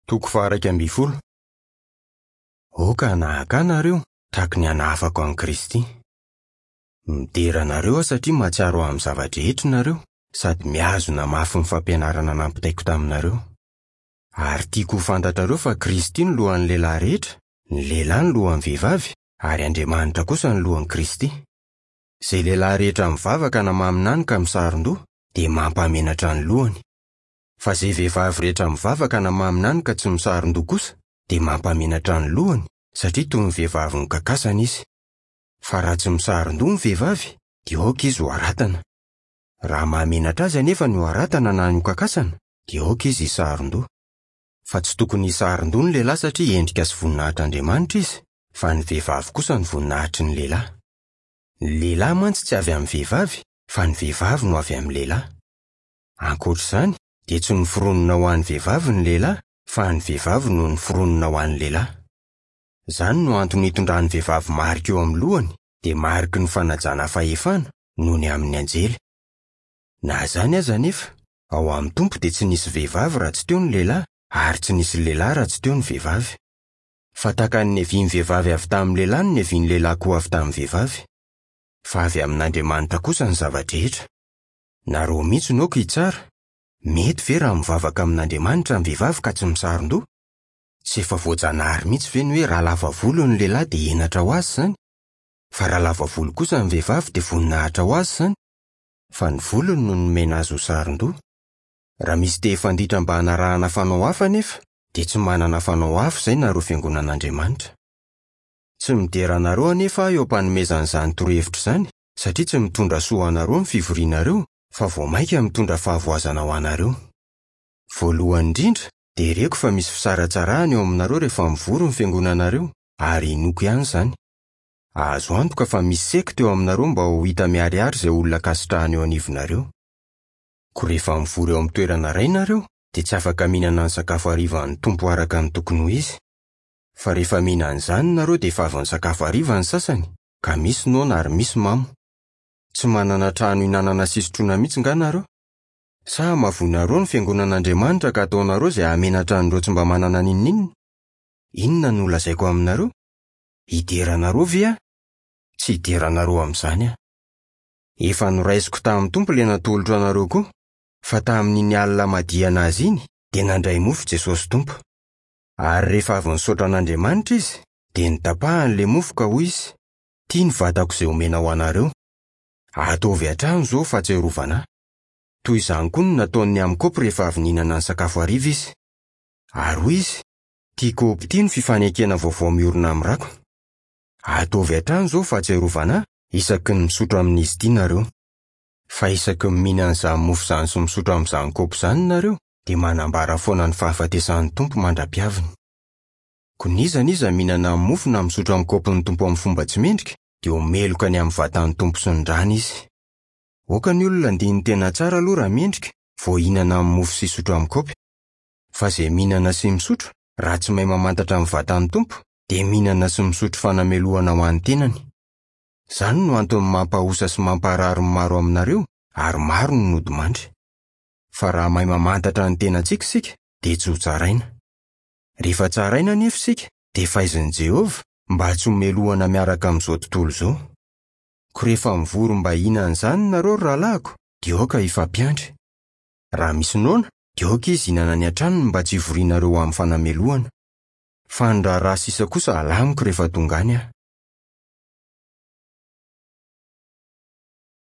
Toko faha-11. Aoka hanahaka ahy nareo, tahaka ny hanahafako an'i Kristy. Midera anareo aho satria mahatsiaro ahy amin'ny zava-drehetra nareo, sady mihazona mafy ny fampianarana nampitaiko taminareo. Ary tiako ho fantatrareo fa Kristy no lohan'ny lehilahy rehetra, ny lehilahy no lohan'ny vehivavy, ary Andriamanitra kosa no lohan'i Kristy. Izay lehilahy rehetra mivavaka na maminany ka misaron-doha, dia mampahamenatra ny lohany. Fa izay vehivavy rehetra mivavaka na maminany ka tsy misaron-doha kosa, dia mampahamenatra ny lohany, satria toy ny vehivavy nokakasana izy. Fa raha tsy misaron-doha ny vehivavy, dia aoka izy ho haratana. Raha mahamenatra azy anefa ny ho haratana na ny hokakasana, dia aoka izy hisaron-doha. Fa tsy tokony hisaron-doha ny lehilahy satria endrika sy voninahitr'Andriamanitra izy, fa ny vehivavy kosa no voninahitry ny lehilahy. Ny lehilahy mantsy tsy avy amin'ny vehivavy, fa ny vehivavy no avy amin'ny lehilahy. Ankoatra izany, dia tsy noforonina ho an'ny vehivavy ny lehilahy, fa ny vehivavy no noforonina ho an'ny lehilahy. Izany no antony itondran'ny vehivavy marika eo amin'ny lohany, dia mariky ny fanajana fahefana, noho ny amin'ny anjely. Na izany aza anefa, ao amin'ny Tompo dia tsy nisy vehivavy raha tsy teo ny lehilahy, ary tsy nisy lehilahy raha tsy teo ny vehivavy. Fa tahaka ny niavian'ny vehivavy avy tamin'ny lehilahy no niavian'ny lehilahy koa avy tamin'ny vehivavy. Fa avy amin'Andriamanitra kosa ny zava-drehetra. Nareo mihitsy no aoka hitsara, mety ve raha mivavaka amin'Andriamanitra ny vehivavy ka tsy misaron-doha? Tsy efa voajanahary mihitsy ve ny hoe raha lava volo ny lehilahy dia henatra ho azy izany? Fa raha lava volo kosa ny vehivavy dia voninahitra ho azy izany? Fa ny volony no nomena azy ho saron-doha. Raha misy te hifanditra mba hanarahana fanao hafa anefa, dia tsy manana fanao hafa izay nareo fiangonan'Andriamanitra. Tsy midera anareo anefa aho eo am-panomezana izany torohevitra izany, satria tsy mitondra soa ho anareo ny fivorianareo, fa vao mainka mitondra fahavoazana ho anareo. Voalohany indrindra, dia reko fa misy fisaratsarahana eo aminareo rehefa mivory ny fiangonanareo, ary inoako ihany izany. Azo antoka fa misy sekta eo aminareo mba ho hita miharihary izay olona ankasitrahana eo anivonareo. Koa rehefa mivory eo amin'ny toerana iray nareo, dia tsy afaka mihinana ny sakafo harivan'ny Tompo araka ny tokony ho izy. Fa rehefa mihinana izany nareo dia efa avy nisakafo hariva ny sasany, ka misy noana ary misy mamo. Tsy manana trano hihinanana sy hisotroana mihitsy nga nareo? Sa hamavoinareo ny fiangonan'Andriamanitra ka ataonareo izay hahamenatra an'ireo tsy mba manana n'inon'inona? Inona no holazaiko aminareo? Hidera anareo ve aho? Tsy hidera anareo amin'izany aho. Efa noraisiko tamin'ny Tompo ilay natolotro anareo koa, fa tamin'iny alina hamadihana Azy iny, dia nandray mofo Jesosy Tompo. Ary rehefa avy nisaotra an'Andriamanitra Izy, dia notapahany ilay mofo ka hoy Izy, Ity ny vatako izay omena ho anareo. Ataovy hatrany izao fahatsiarovana Ahy. Toy izany koa no nataony ny amin'ny kaopy rehefa avy nihinana ny sakafo hariva Izy. Ary hoy Izy, Ity kaopy ity no fifanekena vaovao miorina amin'ny rako. Ataovy hatrany izao fahatsiarovana Ahy isaky ny misotro amin'izy ity nareo. Fa isaky ny mihinana izany mofo izany sy misotro amin'izany kaopy izany nareo, dia manambara foana ny fahafatesan'ny Tompo mandra-piaviny. Koa n'iza n'iza mihinana ny mofo na misotro amin'ny kaopin'ny Tompo amin'ny fomba tsy mendrika, dia ho meloka ny amin'ny vatan'ny Tompo sy ny rany izy. Aoka ny olona handini-tena tsara aloha raha mendrika, vao hihinana ny mofo sy hisotro amin'ny kaopy. Fa izay mihinana sy misotro, raha tsy mahay mamantatra ny vatan'ny Tompo, dia mihinana sy misotro fanamelohana ho an'ny tenany. Izany no antony mampahosa sy mamparary ny maro aminareo, ary maro no nodimandry. Fa raha mahay mamantatra ny tenantsika isika, dia tsy hotsaraina. Rehefa tsaraina anefa isika, dia faizin'i Jehovah, mba tsy homelohana miaraka amin'izao tontolo izao. Koa rehefa mivory mba hihinana izany nareo, ry rahalahiko, dia aoka hifampiandry. Raha misy noana, dia aoka izy hihinana any an-tranony mba tsy hivorianareo ho amin'ny fanamelohana. Fa ny raharaha sisa kosa halamiko rehefa tonga any aho.